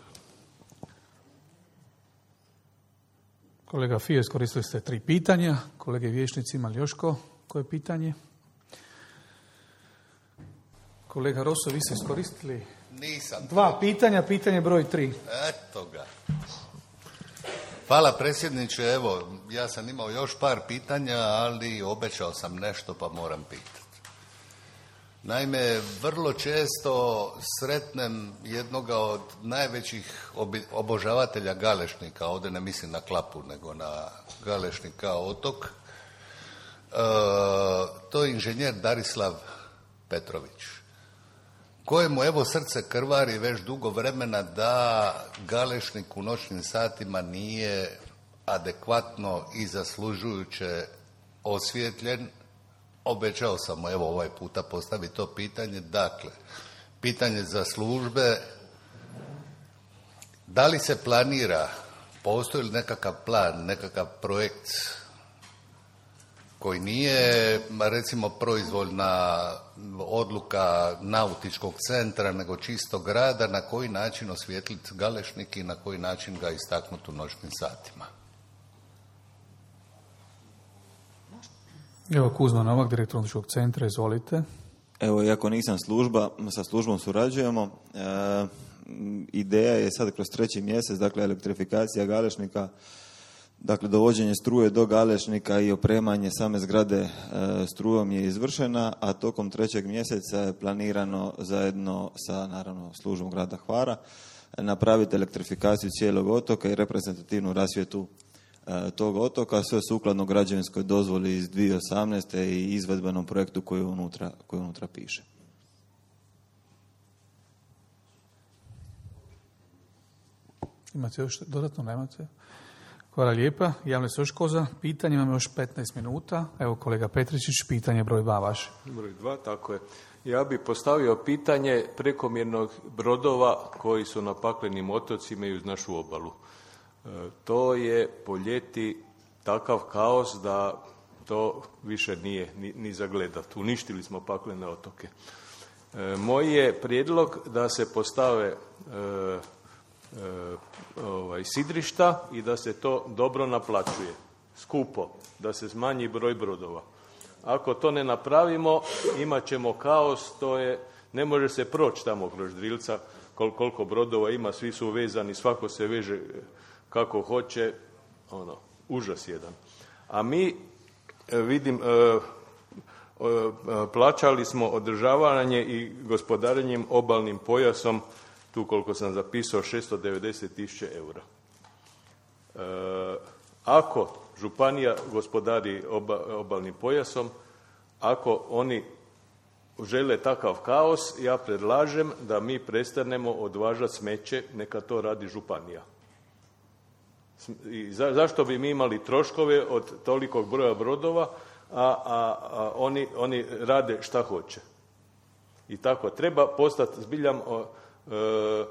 Kolega Fio, iskoristili ste tri pitanja. Kolege vijećnici, imali još ko? Koje pitanje? Kolega Rosso, vi ste iskoristili Nisam. dva pitanja, pitanje broj tri. Eto ga. Hvala predsjedniče, evo, ja sam imao još par pitanja, ali obećao sam nešto pa moram pitati. Naime, vrlo često sretnem jednoga od najvećih obožavatelja Galešnika, ovdje ne mislim na Klapu, nego na Galešnik kao otok, e, to je inženjer Darislav Petrović, kojemu evo srce krvari već dugo vremena da Galešnik u noćnim satima nije adekvatno i zaslužujuće osvijetljen. Obećao sam mu evo ovaj puta postaviti to pitanje. Dakle, pitanje za službe, da li se planira, postoji li nekakav plan, nekakav projekt koji nije recimo proizvoljna odluka nautičkog centra, nego čisto grada, na koji način osvijetliti Galešnik i na koji način ga istaknuti u noćnim satima? Evo Kuzma Novak, direktor nautičkog centra, izvolite. Evo, iako nisam služba, sa službom surađujemo. E, ideja je sad kroz treći mjesec, dakle, elektrifikacija Galešnika, dakle, dovođenje struje do Galešnika i opremanje same zgrade e, strujom je izvršena, a tokom trećeg mjeseca je planirano zajedno sa, naravno, službom grada Hvara napraviti elektrifikaciju cijelog otoka i reprezentativnu rasvjetu e, tog otoka, sve sukladno građevinskoj dozvoli iz dvije tisuće osamnaeste i izvedbenom projektu koji unutra, koji unutra piše. Imate još dodatno, nemate? Hvala lijepa. Javlja se još ko za pitanje, imamo još petnaest minuta. Evo kolega Petričić, pitanje broj dva vaše. Broj dva, tako je. Ja bih postavio pitanje prekomjernog brodova koji su na paklenim otocima i uz našu obalu. E, to je po ljeti takav kaos da to više nije ni, ni za gledat. Uništili smo paklene otoke. E, moj je prijedlog da se postave e, E, ovaj, sidrišta i da se to dobro naplaćuje, skupo, da se smanji broj brodova. Ako to ne napravimo, imat ćemo kaos, to je, ne može se proći tamo kroz Drilca, kol, koliko brodova ima, svi su vezani, svako se veže kako hoće, ono, užas jedan. A mi, vidim, e, plaćali smo održavanje i gospodarenjem obalnim pojasom, tu koliko sam zapisao, šesto devedeset tisuća eura. Ako županija gospodari oba, obalnim pojasom, ako oni žele takav kaos, ja predlažem da mi prestanemo odvažati smeće, neka to radi županija. I za, zašto bi mi imali troškove od tolikog broja brodova, a, a, a oni, oni rade šta hoće. I tako treba postati zbiljam o, e,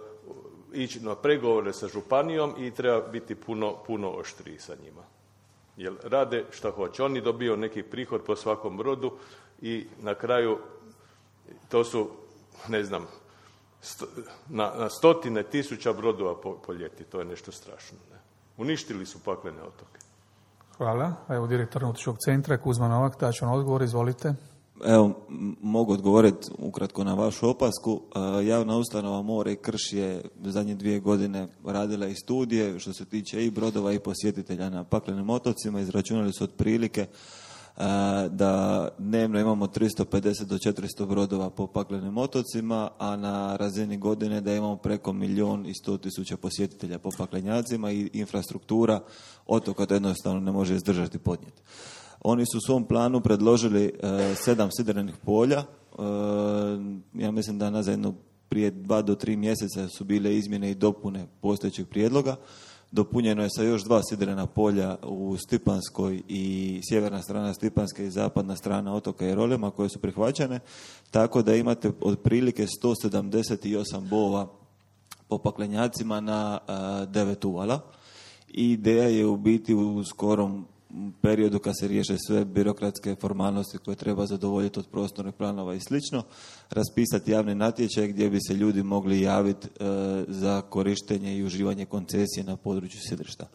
ići na pregovore sa županijom i treba biti puno, puno oštriji sa njima. Jer rade šta hoće. Oni dobiju neki prihod po svakom brodu i na kraju to su, ne znam, sto, na, na stotine tisuća brodova po, po ljeti. To je nešto strašno. Ne? Uništili su paklene otoke. Hvala. Evo direktor Nautičkog centra Kuzma Novak, daću vam odgovor, izvolite. Evo, mogu odgovoriti ukratko na vašu opasku. Javna ustanova More i Krš je zadnje dvije godine radila i studije što se tiče i brodova i posjetitelja na paklenim otocima. Izračunali su otprilike da dnevno imamo tristo pedeset do četiristo brodova po paklenim otocima, a na razini godine da imamo preko milijun i sto tisuća posjetitelja po paklenjacima i infrastruktura otoka to jednostavno ne može izdržati podnijeti. Oni su u svom planu predložili e, sedam sidrenih polja. E, ja mislim da nazad jedno prije dva do tri mjeseca su bile izmjene i dopune postojećeg prijedloga. Dopunjeno je sa još dva sidrena polja u Stipanskoj i sjeverna strana Stipanske i zapadna strana otoka Jerolema koje su prihvaćene, tako da imate otprilike sto sedamdeset osam bova po paklenjacima na e, devet uvala. I ideja je u biti u skorom periodu kad se riješe sve birokratske formalnosti koje treba zadovoljiti od prostornih planova i slično, raspisati javni natječaj gdje bi se ljudi mogli javiti e, za korištenje i uživanje koncesije na području sidrišta.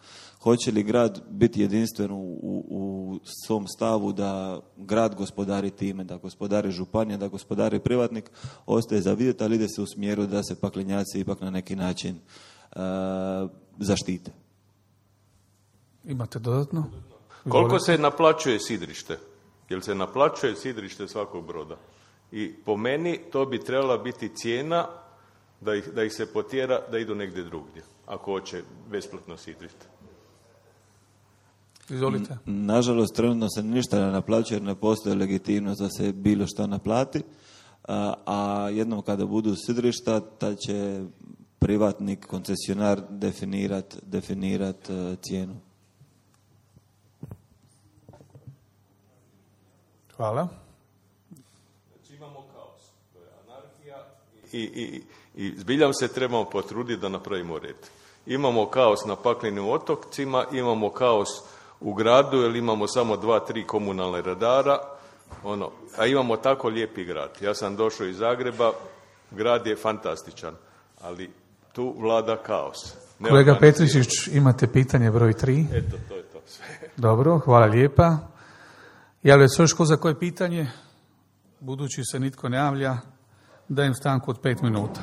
Hoće li grad biti jedinstven u, u, u svom stavu da grad gospodari time, da gospodari županija, da gospodari privatnik, ostaje za vidjeti, ali ide se u smjeru da se paklenjaci ipak na neki način e, zaštite. Imate dodatno? Koliko se naplaćuje sidrište? Jel se naplaćuje sidrište svakog broda? I po meni to bi trebala biti cijena da ih, da ih se potjera da idu negdje drugdje, ako hoće besplatno sidrište. Izvolite. Nažalost, trenutno se ništa ne naplaćuje jer ne postoji legitimnost da se bilo što naplati, a, a jednom kada budu sidrišta, ta će privatnik, koncesionar definirat, definirat uh, cijenu. Hvala. Znači imamo kaos, to je anarhija i, i, i zbiljam se trebamo potruditi da napravimo red. Imamo kaos na paklenim otocima, imamo kaos u gradu jer imamo samo dva, tri komunalne radara, ono, a imamo tako lijepi grad. Ja sam došao iz Zagreba, grad je fantastičan, ali tu vlada kaos. Kolega Petrišić, imate pitanje broj tri. Eto, to je to sve. Dobro, hvala lijepa. Javlja se još ko za koje pitanje? Budući se nitko ne javlja, dajem stanku od pet minuta.